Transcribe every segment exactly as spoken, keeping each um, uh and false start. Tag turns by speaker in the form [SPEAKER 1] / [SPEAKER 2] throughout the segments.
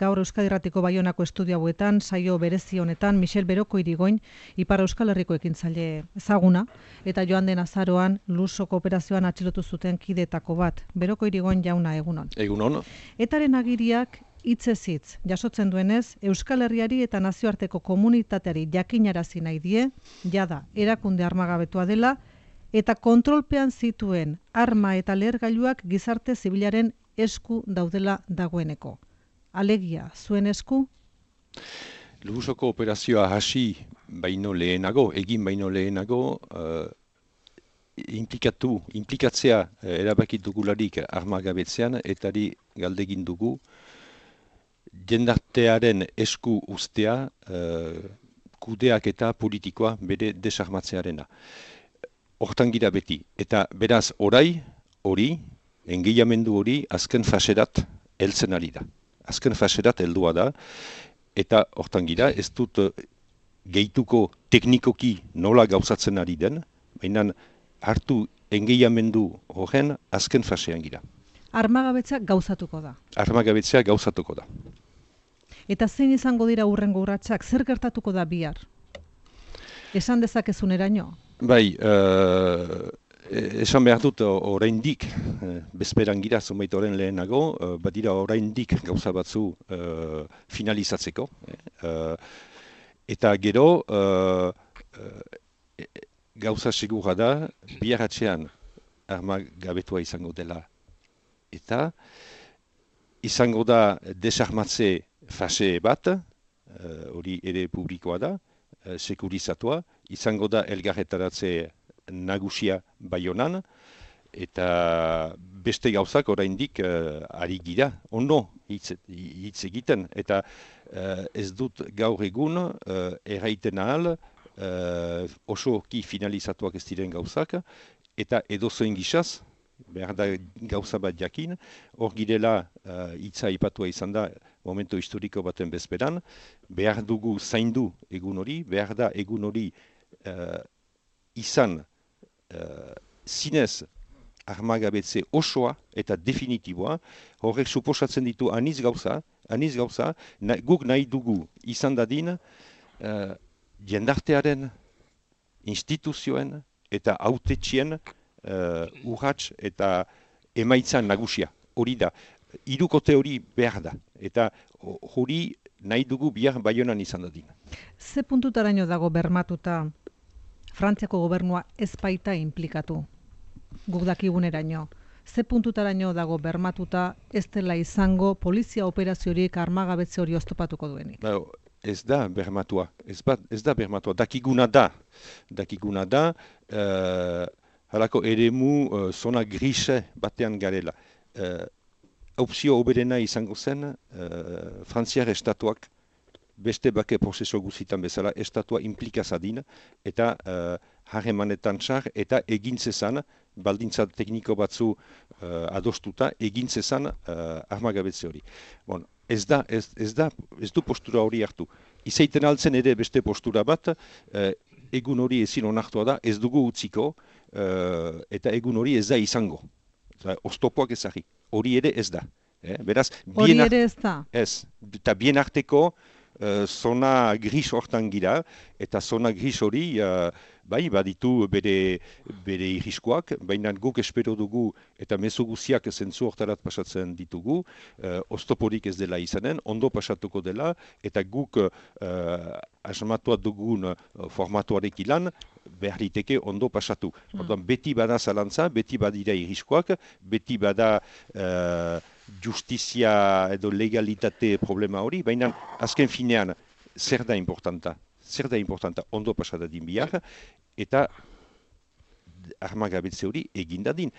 [SPEAKER 1] gaur Euskadi Irratiko Baionako estudio hauetan, saio berezi honetan, Michel Beroko Irigoin, Ipar Euskal Herriko ekintzaile ezaguna, eta joan den azaroan Lusoko operazioan atxilotu zuten kideetako bat. Beroko Irigoin jauna, egunon.
[SPEAKER 2] Egunon.
[SPEAKER 1] Etaren agiriak hitzez hitz jasotzen duenez, Euskal Herriari eta nazioarteko komunitateari jakinarazi nahi die, jada erakunde armagabetua dela, eta kontrolpean zituen arma eta lehergailuak gizarte zibilaren esku daudela dagoeneko. Alegia, zuen esku?
[SPEAKER 2] Lusoko operazioa hasi baino lehenago, egin baino lehenago, uh, implikatu, implikatzea uh, erabakit dugularik armagabetzean, etari galdegin dugu, jendartearen esku ustea uh, kudeak eta politikoa bere desarmatzearena. Hortan gira beti, eta beraz orai, hori, engeiamendu hori azken faserat heltzen ari da. Azken faserat heldua da, eta hortan gira, ez dut gehituko teknikoki nola gauzatzen ari den, baina hartu engeiamendu horren azken fasean gira.
[SPEAKER 1] Armagabetzea gauzatuko da.
[SPEAKER 2] Armagabetzea gauzatuko da.
[SPEAKER 1] Eta zein izango dira hurrengo urratsak, zer gertatuko da bihar? Esan dezakezuneraino?
[SPEAKER 2] Bai, uh, esan behar dut oraindik, uh, bezperan gira zonbait horren lehenago, uh, badira oraindik gauza batzu uh, finalizatzeko. Uh, eta gero, uh, uh, gauza segura da, biharatzean armagabetua izango dela. Eta izango da desarmatze fase bat, hori uh, ere publikoa da, uh, sekurizatua, izango da elgarretaratze nagusia Baionan, eta beste gauzak oraindik uh, ari gira, ondo hitz, hitz egiten, eta uh, ez dut gaur egun uh, erraiten ahal, uh, osoki finalizatuak ez diren gauzak, eta edozoen gizaz, behar da gauza bat jakin, hor girela uh, hitza ipatua izan da momento historiko baten bezperan, behar dugu zaindu egun hori, behar da egun hori uh, izan uh, zinez armagabetze osoa eta definitiboa, horrek suposatzen ditu aniz gauza, aniz gauza, na, guk nahi dugu izan dadin uh, jendartearen, instituzioen eta hautetxien Uh, urrats eta emaitzan nagusia. Hori da, hirukote hori behar da. Eta hori nahi dugu bihar Baionan izan dadin.
[SPEAKER 1] Ze puntutaraino dago bermatuta Frantziako gobernua ez baita implikatu? Guk dakiguneraino. Ze puntutaraino dago bermatuta ez dela izango polizia operaziorik armagabetze hori oztopatuko duenik?
[SPEAKER 2] Ba, ez da bermatua. Ez, bat, ez da bermatua. Dakiguna da. Dakiguna da... Uh, Halako eremu uh, zona grise batean garela. Uh, opzio oberena izango zen, uh, Frantziar estatuak beste bake prozeso guzitan bezala estatua implikazadin eta uh, harremanetan txar eta egintzezan, baldintza tekniko batzu uh, adostuta, egintzezan uh, armagabetze hori. Bon, ez da, ez, ez da, ez du postura hori hartu. Izaiten altzen ere beste postura bat, uh, egun hori ezin onartua da, ez dugu utziko, Uh, eta egun hori ez da izango. Oztopoak ezagri. Hori ere ez da. Eh? Beraz,
[SPEAKER 1] hori ere ez da?
[SPEAKER 2] Ez. Eta bien arteko uh, zona gris hortan gira, eta zona gris hori uh, bai, baditu bere, bere irriskoak, baina guk espero dugu eta mezu guziak zentzu hortarat pasatzen ditugu, uh, oztoporik ez dela izanen, ondo pasatuko dela, eta guk uh, asmatua dugun uh, formatuarek ilan, behar liteke ondo pasatu. Mm. Orduan, beti bada zalantza, beti badira irriskoak, beti bada uh, justizia edo legalitate problema hori, baina azken finean, zer da importanta? Zer da importanta? Ondo pasatadin bihar, eta armagabetze hori egindadin.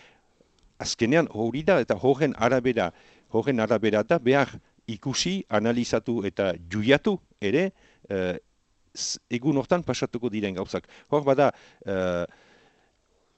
[SPEAKER 2] Azkenean hori da, eta horren arabera, horren arabera da behar ikusi, analizatu eta juiatu ere, uh, egun hortan pasatuko diren gauzak. Hor bada, uh,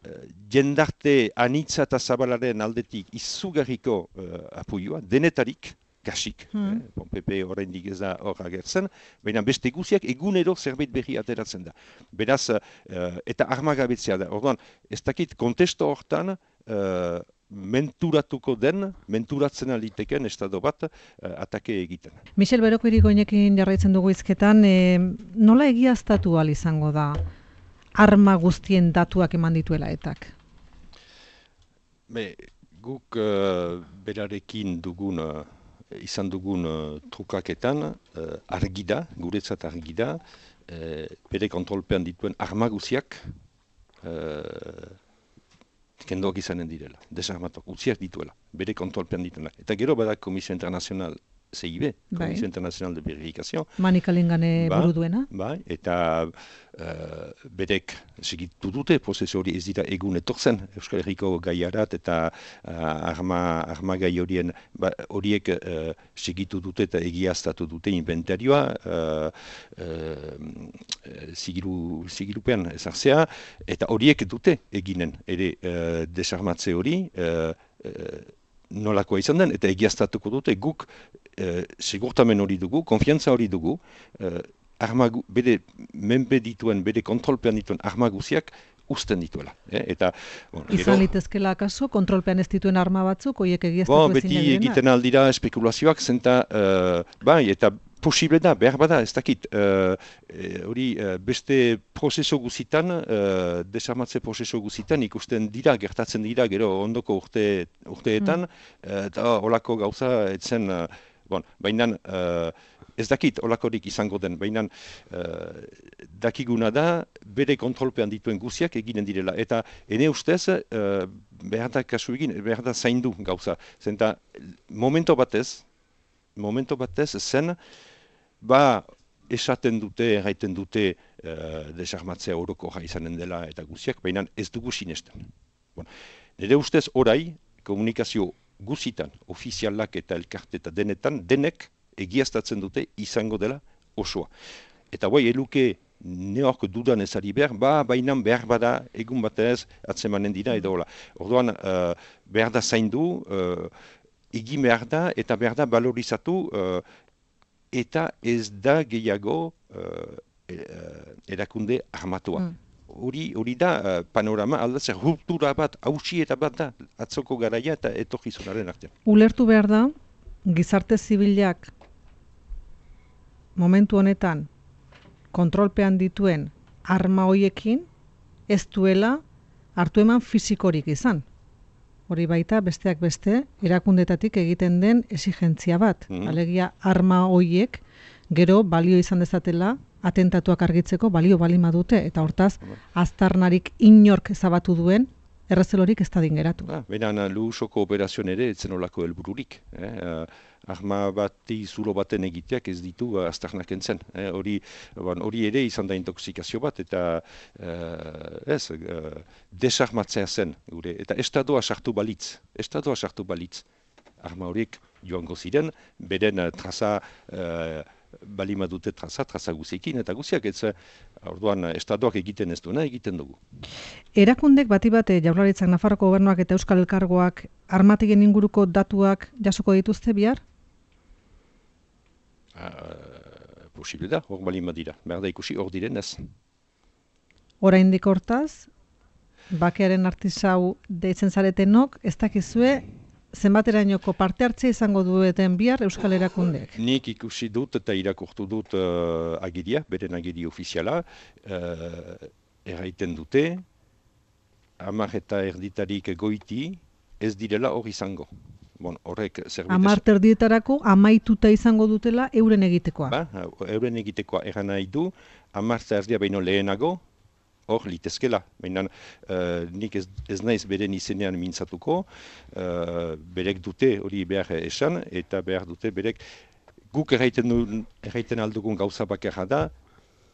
[SPEAKER 2] uh, jendarte anitza eta zabalaren aldetik izugarriko uh, apoioa, denetarik, kasik. Hmm. Eh? Bon, P P oraindik ez da hor agertzen, baina beste guziak egunero zerbait berri ateratzen da. Beraz, uh, eta armagabetzea da. Orduan, ez dakit kontesto hortan, uh, menturatuko den, menturatzen aliteken estado bat uh, atake egiten.
[SPEAKER 1] Michel Beroko irigoinekin jarraitzen dugu hizketan, e, nola egiaztatu ahal izango da arma guztien datuak eman dituela etak?
[SPEAKER 2] Be, guk uh, berarekin dugun, uh, izan dugun uh, trukaketan uh, argi da, guretzat argi da, uh, bere kontrolpean dituen arma guziak uh, kendoak izanen direla, desarmatok, utziak dituela, bere kontrolpean dituena. Eta gero bada Komisio Internacional C I B, Komisio Internacional de Verificación.
[SPEAKER 1] Manikalengane
[SPEAKER 2] ba,
[SPEAKER 1] buru duena.
[SPEAKER 2] Ba, eta uh, berek segitu dute, prozesu hori ez dira egun etortzen, Euskal Herriko gaiarat eta uh, arma, arma gai horien ba, horiek uh, segitu dute eta egiaztatu dute inventarioa, uh, uh, zigiru, zigirupean ezartzea, eta horiek dute eginen, ere uh, desarmatze hori, uh, uh, nolakoa izan den, eta egiaztatuko dute guk e, segurtamen hori dugu, konfiantza hori dugu, e, arma, bere menpe dituen, bere kontrolpean dituen arma guziak uzten dituela. Eh? Eta, bon,
[SPEAKER 1] izan litezkela akaso, kontrolpean ez dituen arma batzuk, horiek egiaztatu
[SPEAKER 2] bon, ezin beti egiten aldira espekulazioak, zenta, uh, bai, eta posible da, behar bada, ez dakit, hori uh, uh, beste prozeso guzitan, uh, desarmatze prozeso guzitan ikusten dira, gertatzen dira, gero ondoko urte, urteetan, mm. uh, eta olako gauza etzen, uh, bon, baina uh, ez dakit olakorik izango den, baina uh, dakiguna da, bere kontrolpean dituen guziak eginen direla, eta ene ustez, uh, behar da kasu egin, behar da zaindu gauza, zenta momento batez, momento batez zen, ba, esaten dute, erraiten dute uh, desarmatzea orokorra izanen dela eta guziak, baina ez dugu sinesten. Bon. Nire ustez orai, komunikazio guzitan, ofizialak eta elkarte eta denetan, denek egiaztatzen dute izango dela osoa. Eta bai, eluke neok dudan ezari behar, ba, bainan behar bada egun batez atzemanen dira edo hola. Orduan, uh, behar da zaindu, uh, egin behar da eta behar da balorizatu, uh, eta ez da gehiago uh, erakunde armatua. Hori mm. hori da uh, panorama aldatzea, ruptura bat, hausi eta bat da, atzoko garaia eta etorkizunaren artean.
[SPEAKER 1] Ulertu behar da, gizarte zibilak momentu honetan kontrolpean dituen arma hoiekin ez duela hartu eman fisikorik izan. Hori baita besteak beste erakundetatik egiten den exigentzia bat. Mm-hmm. Alegia arma hoiek gero balio izan dezatela atentatuak argitzeko balio balima dute eta hortaz aztarnarik inork ezabatu duen errezelorik ez dadin geratu.
[SPEAKER 2] Ah, Benan luhusoko operazioan ere etzen olako helbururik. Eh? Uh, arma bati zulo baten egiteak ez ditu uh, aztarnak entzen. Eh? Hori ban, ere izan da intoxikazio bat eta uh, ez, uh, desarmatzea zen. Gure. Eta estadoa sartu balitz. Estadoa sartu balitz. Arma horiek joango ziren, beren uh, traza uh, balima dute traza, traza guziekin, eta guziak ez, orduan, estadoak egiten ez duena, egiten dugu.
[SPEAKER 1] Erakundek bati bate Jaurlaritzak, Nafarroko Gobernuak eta Euskal Elkargoak armatigen inguruko datuak jasoko dituzte bihar?
[SPEAKER 2] Uh, posible da, hor balima dira. Behar da ikusi, hor diren ez.
[SPEAKER 1] Oraindik hortaz, bakearen artisau deitzen zaretenok, ez dakizue zenbaterainoko parte hartzea izango dueten bihar Euskal Erakundeek?
[SPEAKER 2] Nik ikusi dut eta irakurtu dut uh, agiria, beren agiri ofiziala, uh, erraiten dute, hamar eta erditarik goiti ez direla hor izango. Bon, horrek zerbait...
[SPEAKER 1] Hamar erdietarako amaituta izango dutela euren egitekoa.
[SPEAKER 2] Ba, euren egitekoa erran nahi du, hamar eta erdia baino lehenago, hor litezkela, baina uh, nik ez, ez naiz beren izenean mintzatuko, uh, berek dute hori behar esan, eta behar dute berek guk erraiten, erraiten aldugun gauza bakarra da,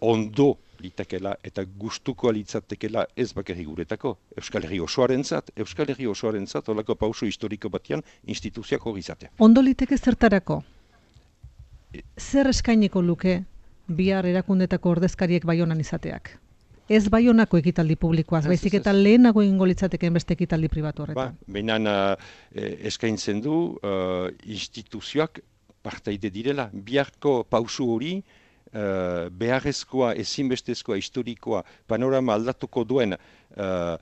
[SPEAKER 2] ondo litakela eta gustuko litzatekela ez bakarrik guretako. Euskal Herri osoaren zat, Euskal Herri osoaren zat, holako pauso historiko batean instituzioak hori izatea.
[SPEAKER 1] Ondo liteke zertarako? Zer eskainiko luke bihar erakundetako ordezkariek Baionan izateak? Ez Baionako ekitaldi publikoaz, baizik eta lehenago egingo litzateken beste ekitaldi pribatu horretan.
[SPEAKER 2] Ba, behinan uh, eskaintzen du uh, instituzioak partaide direla. Biharko pausu hori uh, beharrezkoa, ezinbestezkoa, historikoa, panorama aldatuko duen uh,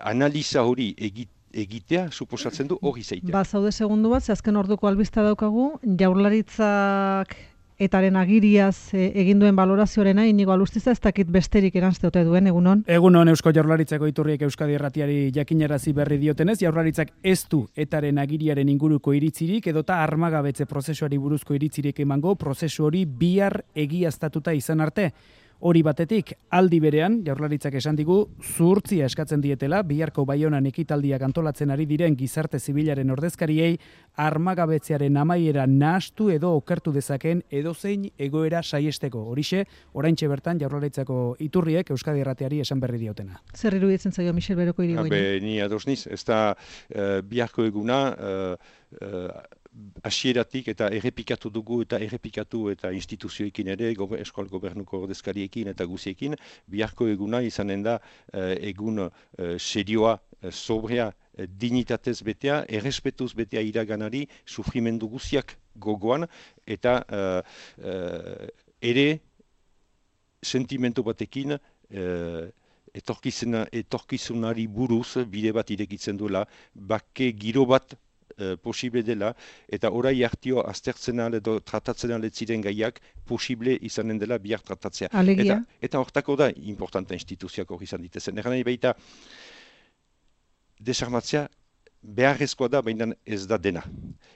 [SPEAKER 2] analiza hori egit, egitea suposatzen du hori zeitea.
[SPEAKER 1] Ba, zaude segundu bat, ze azken orduko albista daukagu, Jaurlaritzak etaren agiriaz e, egin duen balorazioarena, Inigo Alustiza, ez dakit besterik eranzte ote duen, egunon?
[SPEAKER 3] Egunon, Eusko Jaurlaritzako iturriek Euskadi Irratiari jakinarazi berri diotenez, Jaurlaritzak ez du etaren agiriaren inguruko iritzirik edota armagabetze prozesuari buruzko iritzirik emango, prozesu hori bihar egiaztatuta izan arte. Hori batetik, aldi berean, Jaurlaritzak esan digu, zuhurtzia eskatzen dietela, biharko Baionan ekitaldiak antolatzen ari diren gizarte zibilaren ordezkariei, armagabetzearen amaiera nahastu edo okertu dezakeen edozein egoera saiesteko. Horixe, oraintxe bertan Jaurlaritzako iturriek Euskadi Irratiari esan berri diotena.
[SPEAKER 1] Zer iruditzen zaio Michel Beroko Irigoyen?
[SPEAKER 2] Be, ni ados niz, ez da uh, biharko eguna, uh, uh, hasieratik eta errepikatu dugu eta errepikatu eta instituzioekin ere, gobe, eskol gobernuko ordezkariekin eta guziekin, biharko eguna izanen da uh, egun uh, serioa, uh, sobrea, uh, dignitatez betea, errespetuz betea iraganari, sufrimendu guziak gogoan, eta uh, uh, ere sentimentu batekin uh, etorkizuna, etorkizunari buruz bide bat irekitzen duela, bake giro bat posible dela, eta orai hartio aztertzen al edo tratatzen al ziren gaiak posible izanen dela bihar tratatzea.
[SPEAKER 1] Alegia?
[SPEAKER 2] Eta, eta hortako da importanta instituzioak hori izan ditezen. Eran nahi baita, desarmatzea beharrezkoa da, baina ez da dena.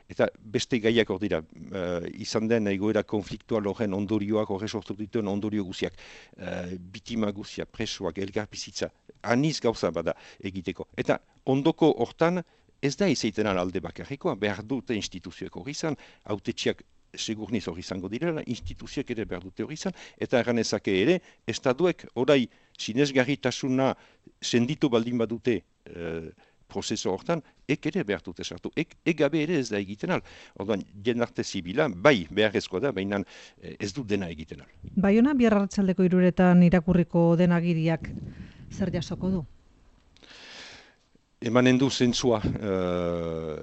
[SPEAKER 2] Eta beste gaiak hor dira, uh, izan den egoera konfliktual horren ondorioak, horre sortu dituen ondorio guziak, uh, bitima guziak, presoak, elgarbizitza, aniz gauza bada egiteko. Eta ondoko hortan, ez da izaiten alde bakarrikoa, behar dute instituzioek hori izan, autetxiak segurniz hori izango direla, instituzioek ere behar dute hori izan, eta erranezake ere, estatuek orai sinesgarritasuna senditu baldin badute e, prozeso hortan, ek ere behar dute sartu, ek egabe ere ez da egiten al. Orduan, jendarte zibila, bai beharrezkoa da, baina ez du dena egiten al.
[SPEAKER 1] Baiona bihar arratsaldeko hiruretan irakurriko den agiriak zer jasoko du?
[SPEAKER 2] Emanen du zentzua uh,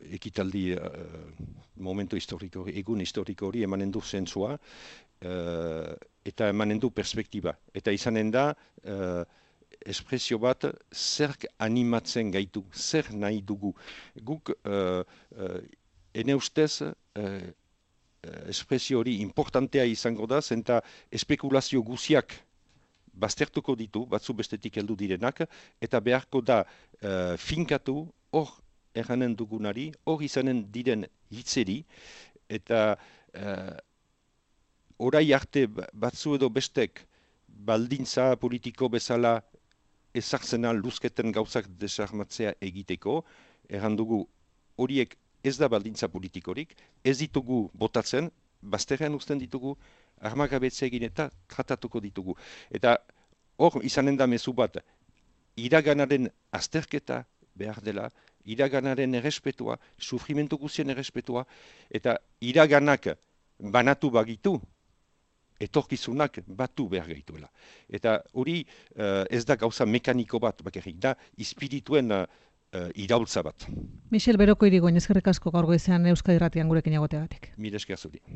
[SPEAKER 2] ekitaldi uh, momento historiko, egun historiko hori emanen du zentzua uh, eta emanen du perspektiba. Eta izanen da uh, espresio bat zerk animatzen gaitu, zer nahi dugu. Guk uh, uh, ene ustez uh, espresio hori importantea izango da, zenta espekulazio guziak baztertuko ditu, batzu bestetik heldu direnak, eta beharko da uh, finkatu hor erranen dugunari, hor izanen diren hitzeri, eta uh, orai arte batzu edo bestek baldintza politiko bezala ezartzena luzketen gauzak desarmatzea egiteko, erran dugu horiek ez da baldintza politikorik, ez ditugu botatzen, bazterrean uzten ditugu, armagabetzea egin eta tratatuko ditugu. Eta hor izanen da mezu bat, iraganaren azterketa behar dela, iraganaren errespetua, sufrimentu guzien errespetua, eta iraganak banatu bagitu, etorkizunak batu behar gaituela. Eta hori uh, ez da gauza mekaniko bat, bakarrik da, ispirituen uh, uh, iraultza bat.
[SPEAKER 1] Michel Beroko Irigoyen, eskerrik asko gaur goizean Euskadi Irratian gurekin egoteagatik.
[SPEAKER 2] Mila esker zuri.